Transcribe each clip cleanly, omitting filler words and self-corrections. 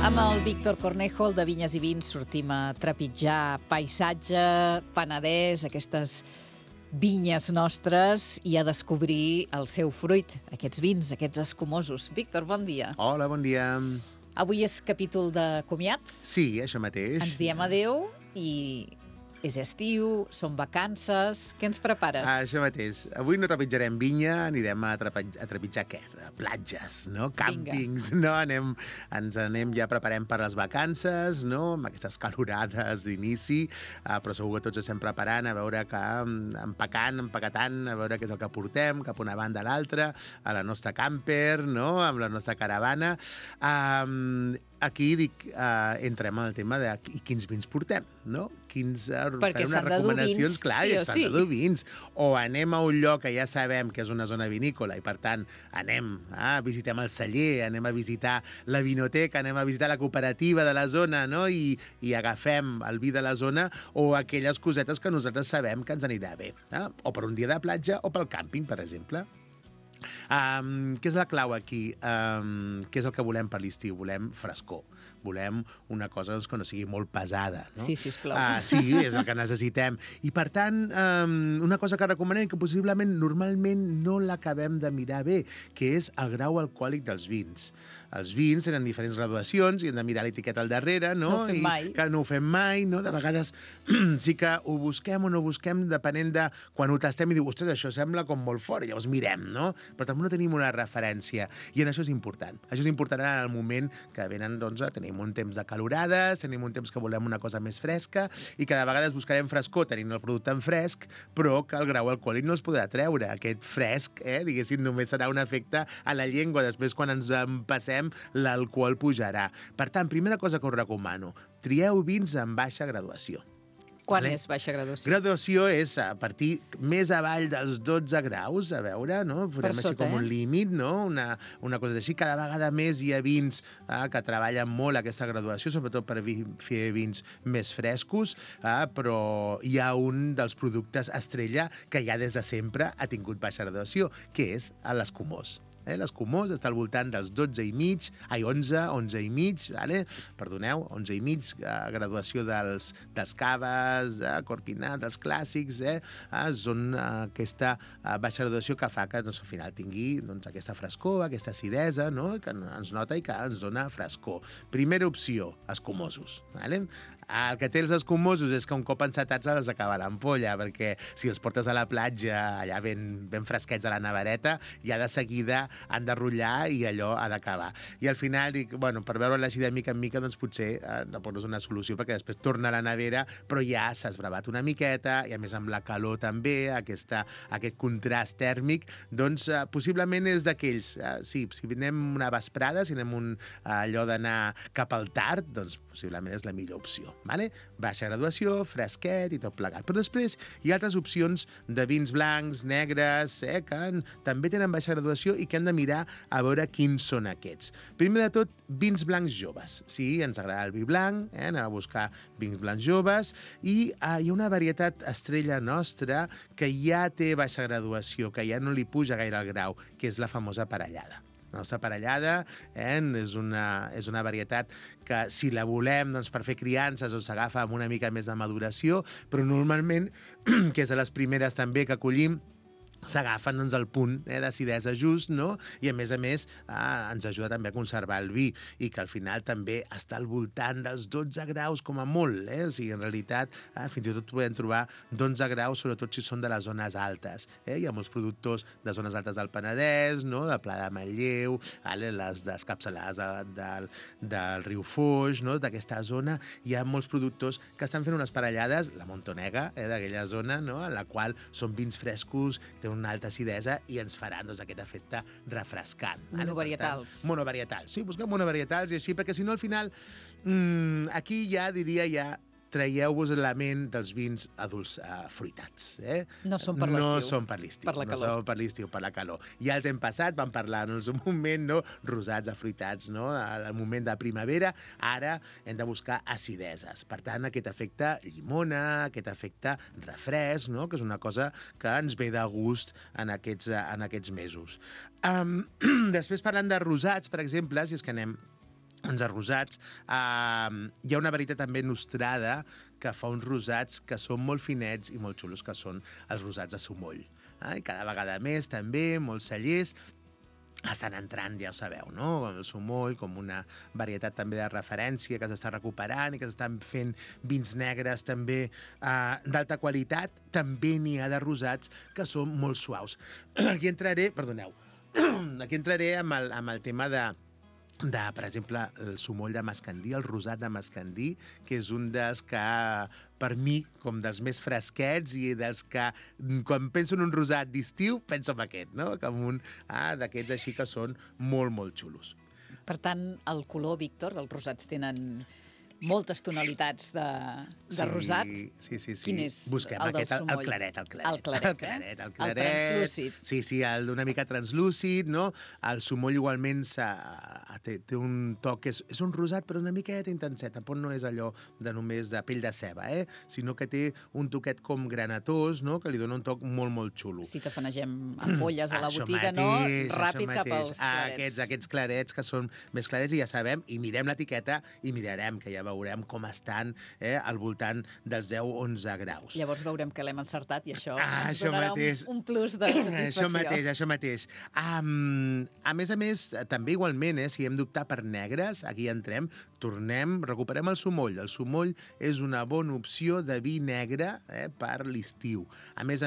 Amb el Víctor Cornejo, el de Vinyes i Vins, sortim a trepitjar paisatge, Penedès, aquestes vinyes nostres i a descobrir el seu fruit, aquests vins, aquests escumosos. Víctor, bon dia. Hola, bon dia. Avui és capítol de comiat. Sí, això mateix. Ens diem adeu i és estiu, són vacances. Què ens prepares? Això mateix. Avui no trepitjarem vinya, anirem a trepitjar què? Platges, no? Càmpings, no? Ens anem, ja preparem per les vacances, no? Amb aquestes calorades d'inici, però segur que tots estem preparant a veure que empaquetant, a veure què és el que portem, cap a una banda a l'altra, a la nostra camper, no? Amb la nostra caravana. Aquí entrem en el tema de quins vins portem, no? Perquè s'han de dur vins, clar, sí o s'han sí. de dur vins. O anem a un lloc que ja sabem que és una zona vinícola i, per tant, visitem el celler, anem a visitar la vinoteca, anem a visitar la cooperativa de la zona, no? I agafem el vi de la zona o aquelles cosetes que nosaltres sabem que ens anirà bé. O per un dia de platja o pel càmping, per exemple. Què és la clau aquí? Què és el que volem per l'estiu? Volem frescor. Volem una cosa que no sigui molt pesada. No? Sí, sisplau. Sí, és el que necessitem. I, per tant, una cosa que recomanem que possiblement normalment no l'acabem de mirar bé, que és el grau alcohòlic dels vins. Els vins tenen diferents graduacions i hem de mirar l'etiqueta al darrere, no? No ho fem mai. Que no ho fem mai, no? De vegades sí que ho busquem o no ho busquem depenent de quan ho tastem i diu, ostres, això sembla com molt fort, llavors mirem, no? Però també no tenim una referència i en això és important. Això és important en el moment que venen, doncs, tenim un temps de calorades, tenim un temps que volem una cosa més fresca i que de vegades buscarem frescor tenint el producte en fresc, però que el grau alcohòlic no es podrà treure. Aquest fresc, diguéssim, només serà un efecte a la llengua. Després, quan ens en passem, l'alcohol pujarà. Per tant, primera cosa que us recomano, trieu vins en baixa graduació. Quan és baixa graduació? Graduació és a partir més avall dels 12 graus, a veure, no? Farem així com un límit, no? Una cosa així. Cada vegada més hi ha vins que treballen molt aquesta graduació, sobretot per fer vins més frescos, però hi ha un dels productes estrella que ja des de sempre ha tingut baixa graduació, que és l'escumós. L'escumós està al voltant dels 11 i mig, vale? Perdoneu, 11 i mig, graduació dels caves, corpinat, dels clàssics, són aquesta baixa graduació que fa que al final tingui aquesta frescor, aquesta acidesa, no? Que ens nota i que ens dona frescor. Primera opció, escumosos. Vale? El que té els escumosos és que un cop encetats els acaba l'ampolla, perquè si els portes a la platja allà ben fresquets a la nevereta, ja de seguida han de rotllar i allò ha d'acabar. I al final dic, per veure-la així de mica en mica, doncs potser no poses una solució perquè després torna a la nevera, però ja s'ha esbravat una miqueta, i a més amb la calor també, aquest contrast tèrmic, doncs possiblement és d'aquells. Sí, si anem una vesprada, si anem allò d'anar cap al tard, doncs possiblement és la millor opció. Vale? Baixa graduació, fresquet i tot plegat. Però després hi ha altres opcions de vins blancs, negres, que també tenen baixa graduació i que hem de mirar a veure quins són aquests. Primer de tot, vins blancs joves. Sí, ens agrada el vi blanc, anem a buscar vins blancs joves, i hi ha una varietat estrella nostra que ja té baixa graduació, que ja no li puja gaire el grau, que és la famosa parellada. La nostra parellada és una varietat que, si la volem per fer criances, s'agafa amb una mica més de maduració, però normalment, que és de les primeres també que collim, s'agafen el punt d'acidesa just, no? I a més ens ajuda també a conservar el vi i que al final també està al voltant dels 12 graus com a molt, O sigui, en realitat fins i tot podem trobar 12 graus, sobretot si són de les zones altes. Hi ha molts productors de zones altes del Penedès, no? Del Pla de Manlleu, les descapçalades del riu Foix, no? D'aquesta zona hi ha molts productors que estan fent unes parellades, la Montonega, d'aquella zona, no? En la qual són vins frescos, una alta acidesa i ens faran aquest efecte refrescant. Monovarietals. Monovarietals, sí, busquem monovarietals i així, perquè si no al final aquí ja diria traieu-vos la ment dels vins adults fruitats. No són per l'estiu. No són per l'estiu. Per la calor. No són per l'estiu, per la calor. Ja els hem passat, vam parlar en un moment, no? Rosats, afruitats, no? Al moment de primavera, ara hem de buscar acideses. Per tant, aquest efecte llimona, aquest efecte refresc, no? Que és una cosa que ens ve de gust en aquests mesos. Després, parlant de rosats, per exemple, si és que anem uns rosats. Hi ha una varietat també nostrada que fa uns rosats que són molt finets i molt xulos, que són els rosats de sumoll. I cada vegada més, també, molts cellers estan entrant, ja ho sabeu, no? El sumoll com una varietat també de referència que s'està recuperant i que s'estan fent vins negres també d'alta qualitat. També n'hi ha de rosats que són molt suaus. Aquí entraré amb el tema de, per exemple, el sumoll de mascandí, el rosat de mascandí, que és un dels que, per mi, com dels més fresquets i dels que, quan penso en un rosat d'estiu, penso en aquest, no? Com un d'aquests així que són molt, molt xulos. Per tant, el color, Víctor, els rosats tenen moltes tonalitats de rosat. Sí. Quin és Busquem el del sumoll? El claret. El claret. El translúcid. Sí, una mica translúcid, no? El sumoll igualment té un toc, és un rosat però una miqueta intenset, tampoc no és allò de només de pell de ceba, sinó que té un toquet com granatós, no? Que li dona un toc molt, molt xulo. Si tafanegem ampolles a la botiga, no? Ràpid cap als clarets. Aquests clarets que són més clarets i ja sabem, i mirem l'etiqueta i mirarem, que ja veurem com estan al voltant dels 10-11 graus. Llavors veurem que l'hem encertat i això ens donarà un plus de satisfacció. Això mateix. A més, també igualment, si hem d'optar per negres, aquí entrem, recuperem el sumoll. El sumoll és una bona opció de vi negre per l'estiu. A més,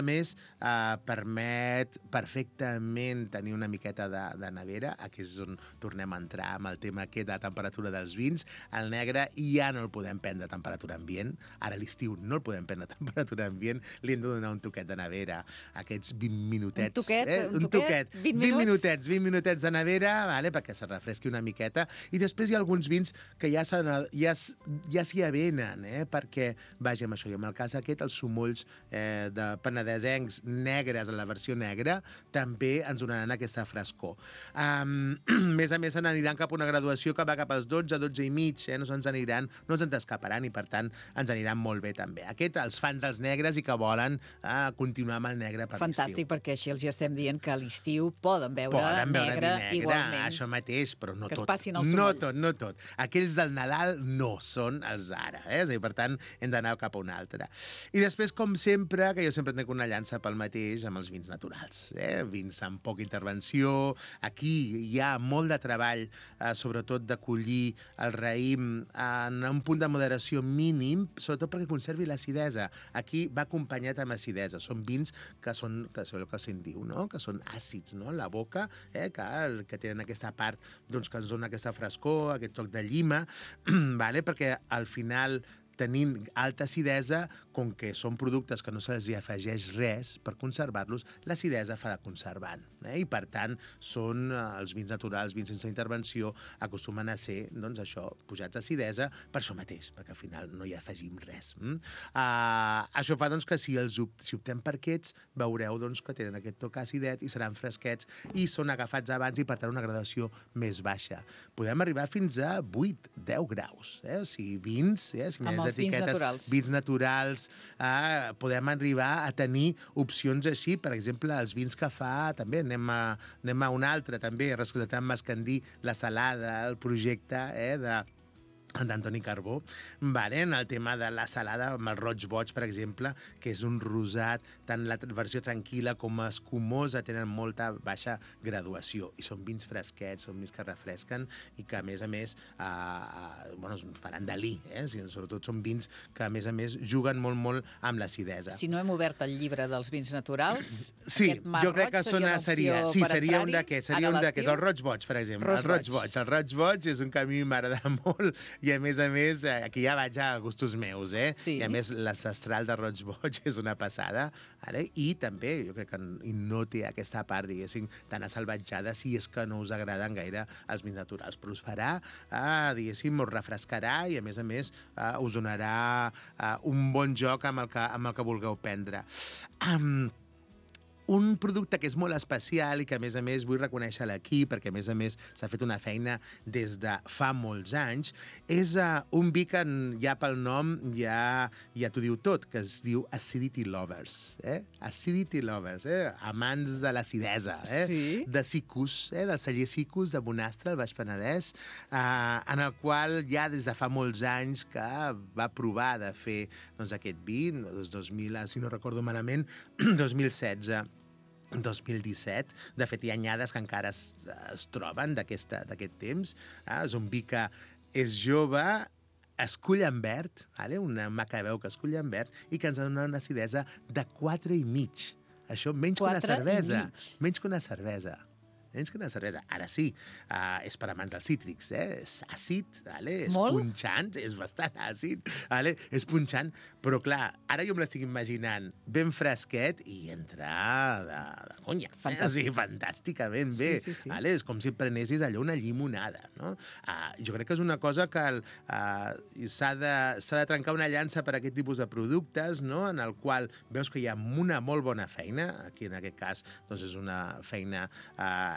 permet perfectament tenir una miqueta de nevera. Aquí és on tornem a entrar amb el tema aquest de temperatura dels vins. El negre ja no el podem prendre a temperatura ambient. Ara a l'estiu no el podem prendre a temperatura ambient. Li hem de donar un toquet de nevera. Aquests 20 minutets. Un toquet? 20 minutets de nevera, perquè se refresqui una miqueta. I després hi ha alguns vins que ja s'hi avenen, perquè, vaja, amb això, i en el cas aquest, els sumolls de penedesencs negres, en la versió negra, també ens donaran aquesta frescor. A més, se n'aniran cap a una graduació que va cap als 12 i mig, no ens escaparan i, per tant, ens aniran molt bé també. Aquest, els fans dels negres i que volen continuar amb el negre per l'estiu. Fantàstic, perquè així els estem dient que a l'estiu poden veure negre igualment. Això mateix, però no tot. Que es passin el sumoll. No tot. Aquells del Nadal no són els d'ara. És a dir, per tant, hem d'anar cap a un altre. I després, com sempre, que jo sempre tenc una llança pel mateix amb els vins naturals. Vins amb poca intervenció. Aquí hi ha molt de treball, sobretot de collir el raïm en un punt de moderació mínim, sobretot perquè conservi l'acidesa. Aquí va acompanyat amb acidesa. Són vins que són el que se'n diu, no? Que són àcids, no? En la boca, que tenen aquesta part que ens dona aquesta frescor, aquest toc de llima, perquè al final, tenint alta acidesa, com que són productes que no se'ls afegeix res per conservar-los, l'acidesa fa de conservant. I, per tant, són els vins naturals, vins sense intervenció, acostumen a ser, pujats d'acidesa per això mateix, perquè al final no hi afegim res. Això fa, que si optem per aquests, veureu que tenen aquest toc acidet i seran fresquets i són agafats abans i, per tant, una gradació més baixa. Podem arribar fins a 8-10 graus. Si vins, amb els vins naturals. Vins naturals, podem arribar a tenir opcions així, per exemple, els vins que fa, també anem a un altre, també, rescatant Mascandí, la Salada, el projecte d'Antoni Carbó, en el tema de la salada, amb el roig boig, per exemple, que és un rosat, tant la versió tranquil·la com escumosa, tenen molta baixa graduació, i són vins fresquets, són vins que refresquen, i que, a més, faran delí, sobretot són vins que, a més, juguen molt, molt amb l'acidesa. Si no hem obert el llibre dels vins naturals, sí, aquest mar jo crec que roig seria una opció per seria un d'aquests, el roig boig, per exemple. El roig boig és un que a mi m'agrada molt, i a més, aquí ja vaig a gustos meus, Sí. I a més l'ancestral de roig boig és una passada, i també jo crec que no té aquesta part, diguéssim, tan assalvatjada si és que no us agraden gaire els vins naturals, però us farà, diguéssim, us refrescarà i a més, us donarà un bon joc amb el que vulgueu prendre. Un producte que és molt especial i que, a més, vull reconèixer-la aquí, perquè, a més, s'ha fet una feina des de fa molts anys, és un vi que ja pel nom ja t'ho diu tot, que es diu Acidity Lovers. Acidity Lovers, amants de l'acidesa. Sí. De Cicus, del celler Cicus de Bonastre, al Baix Penedès, en el qual ja des de fa molts anys que va provar de fer aquest vi, 2000, si no recordo malament, 2016. 2017. De fet, hi ha anyades que encara es troben d'aquest temps. És un vi que és jove, escull en verd, una macabeu que escull en verd, i que ens dona una acidesa de 4,5. Això menys que una cervesa. Menys que una cervesa. Ara sí, és per amants dels cítrics, és àcid, és punxant, és bastant àcid, és punxant, però clar, ara jo me l'estic imaginant ben fresquet i entra de conya. Fantàsticament bé. Sí. És com si prenessis allò una llimonada. No? Jo crec que és una cosa que s'ha de trencar una llança per aquest tipus de productes, no? En el qual veus que hi ha una molt bona feina, aquí en aquest cas és una feina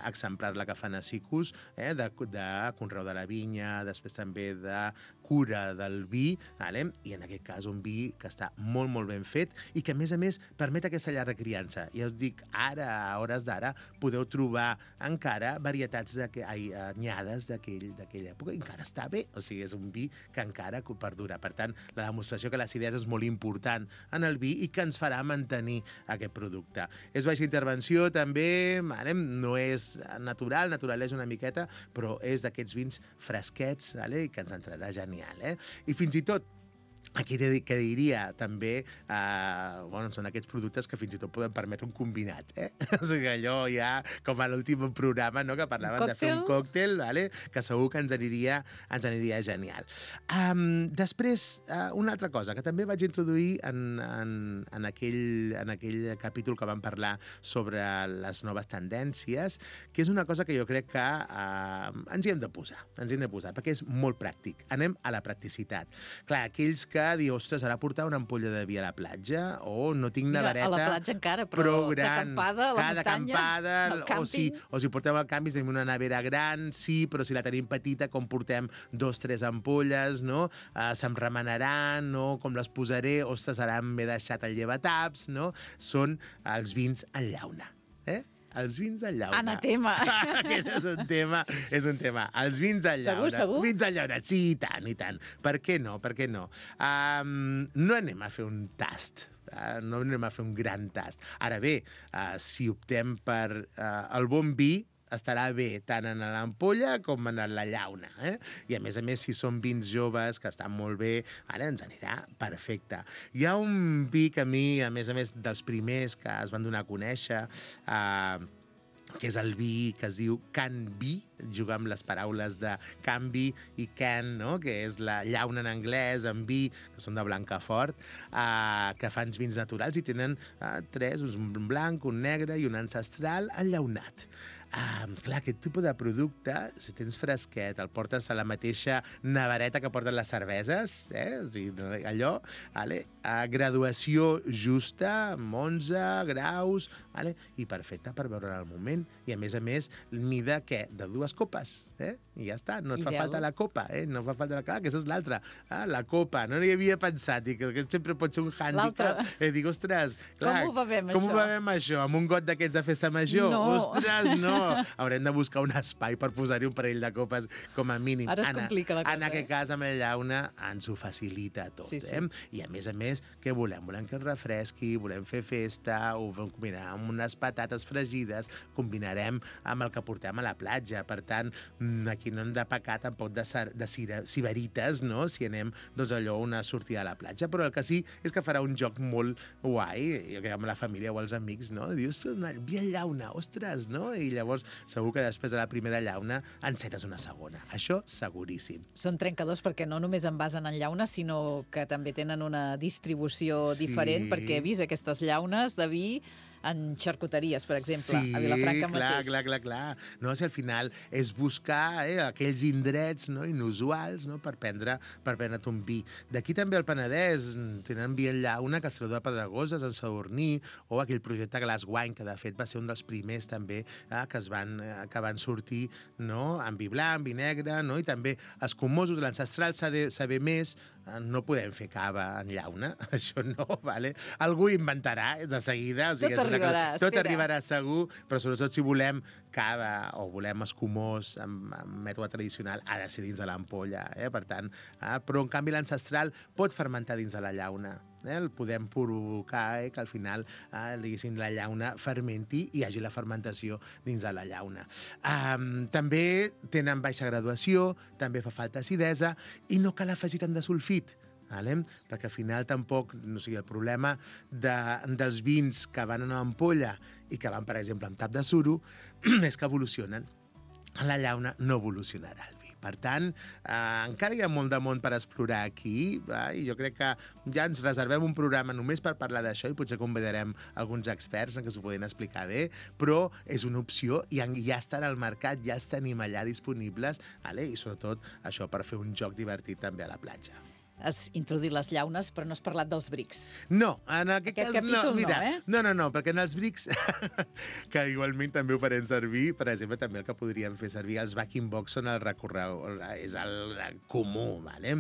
exemplar la que fan a Cicus, de conreu de la vinya, després també de cura del vi, i en aquest cas un vi que està molt, molt ben fet i que, a més, permet aquesta llarga criança. Ja us dic, ara, a hores d'ara, podeu trobar encara varietats anyades d'aquella època i encara està bé. O sigui, és un vi que encara perdura. Per tant, la demostració que l'acidesa és molt important en el vi i que ens farà mantenir aquest producte. És baixa intervenció, també, no és natural és una miqueta, però és d'aquests vins fresquets, i que ens entrarà genial. I fins i tot, aquí que diria també, són aquests productes que fins i tot poden permetre un combinat. O sigui, allò ja, com a l'últim programa, que parlaven de fer un còctel, que segur que ens aniria genial. Després, una altra cosa que també vaig introduir en aquell capítol que vam parlar sobre les noves tendències, que és una cosa que jo crec que ens hi hem de posar, perquè és molt pràctic. Anem a la practicitat. Clar, aquells que diu, ostres, ara portar una ampolla de vi a la platja, o no tinc nevereta... A la platja encara, però d'acampada, a la muntanya, al càmping... O si portem al camping, tenim una nevera gran, sí, però si la tenim petita, com portem 2 o 3 ampolles, no? Se'm remenaran, no? Com les posaré? Ostres, ara m'he deixat el llevataps, no? Són els vins en llauna, Els vins en llauna. Anatema. Aquest és un tema. Els vins en llauna. Segur? Vins en llauna, sí, i tant. Per què no? No anem a fer un tast. No anem a fer un gran tast. Ara bé, si optem per el bon vi, estarà bé tant en l'ampolla com en la llauna. I a més, si són vins joves, que estan molt bé, ara ens anirà perfecte. Hi ha un vi que a mi, a més, dels primers que es van donar a conèixer, que és el vi que es diu Can Vi, jugar amb les paraules de canvi i can, no? Que és la llauna en anglès, en vi, que són de Blancafort, que fan vins naturals i tenen 3, un blanc, un negre i un ancestral enllaunat. Clar, aquest tipus de producte, si tens fresquet, el portes a la mateixa nevereta que porten les cerveses, o sigui, allò, graduació justa, amb 11 graus, i perfecte per beure en el moment. I a més, mida, què? De 2 copes, i ja està, no et fa falta la copa, no fa falta la... Clar, que això és l'altra, la copa, no hi havia pensat, i que sempre pot ser un hàndicap. Dic, ostres, clar, com ho bevem això? Amb un got d'aquests de festa major? No. Ostres, no! Haurem de buscar un espai per posar-hi un parell de copes com a mínim. Ara es complica la cosa. En aquest cas, amb la llauna, ens ho facilita tot. Sí. I a més, què volem? Volem que ens refresqui, volem fer festa, ho combinarem amb unes patates fregides, combinarem amb el que portem a la platja. Per tant, aquí no hem de pecar tampoc de sibarites, no? Si anem, allò, una sortida a la platja. Però el que sí és que farà un joc molt guai, amb la família o els amics, no? Dius, vi en llauna, ostres, no? I llavors segur que després de la primera llauna encetes una segona. Això seguríssim. Són trencadors perquè no només envasen en llauna, sinó que també tenen una distribució diferent, perquè he vist aquestes llaunes de vi en xarcuteries, per exemple, a Vilafranca mateix. Sí, clar. No, si al final és buscar aquells indrets, no, inusuals, no, per prendre't un vi. D'aquí també al Penedès tenen vi en llauna, Castelló de Pedregoses, en Sadurní, o aquell projecte Glass Wine, que de fet va ser un dels primers també que van sortir, no, en vi blanc, vi negre, no, i també escumosos, l'ancestral saber més, no podem fer cava en llauna, això no, vale? Algú inventarà de seguida. O sigui, tot arribarà segur, però sobretot si volem cava o volem escumós amb mètode tradicional, ha de ser dins de l'ampolla. Per tant, però en canvi l'ancestral pot fermentar dins de la llauna. El podem provocar que al final diguéssim, la llauna fermenti i hi hagi la fermentació dins de la llauna. També tenen baixa graduació, també fa falta acidesa i no cal afegir tant de sulfit. Perquè al final tampoc, no sigui, el problema dels vins que van en una ampolla i que van, per exemple, amb tap de suro, és que evolucionen. A la llauna no evolucionarà el vi. Per tant, encara hi ha molt de món per explorar aquí, i jo crec que ja ens reservem un programa només per parlar d'això i potser convidarem alguns experts que s'ho poden explicar bé, però és una opció i ja estan al mercat, ja els tenim allà disponibles, i sobretot això per fer un joc divertit també a la platja. Has introduït les llaunes, però no has parlat dels brics. No, en aquest cas capítol no, perquè en els brics, que igualment també ho farem servir, per exemple, també el que podríem fer servir, els backing box són el recorregut, és el comú, vale?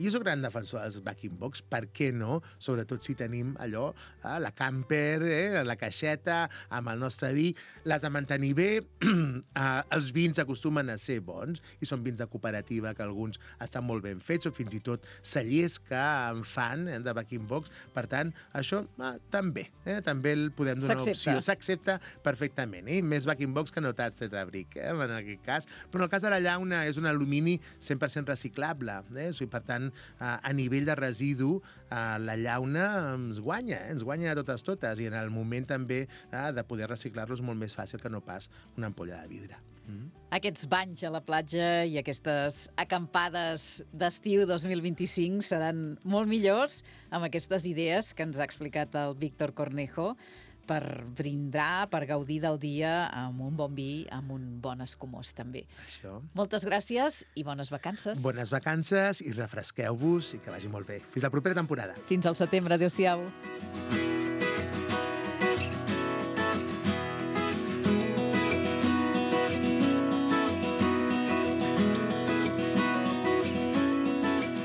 Jo soc gran defensor dels backing box, per què no? Sobretot si tenim allò, la camper, la caixeta, amb el nostre vi, les de mantenir bé, els vins acostumen a ser bons, i són vins de cooperativa, que alguns estan molt ben fets, o fins i tot cellers que en fan de backing box. Per tant, això també el podem donar una opció. S'accepta perfectament. Més backing box que no tas tetrabric, en aquest cas. Però en el cas de la llauna és un alumini 100% reciclable. Per tant, a nivell de residu, la llauna ens guanya de totes. I en el moment també de poder reciclar-los molt més fàcil que no pas una ampolla de vidre. Aquests banys a la platja i aquestes acampades d'estiu 2025 seran molt millors amb aquestes idees que ens ha explicat el Víctor Cornejo per brindar, per gaudir del dia amb un bon vi, amb un bon escumós també. Això. Moltes gràcies i bones vacances. Bones vacances i refresqueu-vos i que vagi molt bé. Fins la propera temporada. Fins al setembre. Adéu-siau.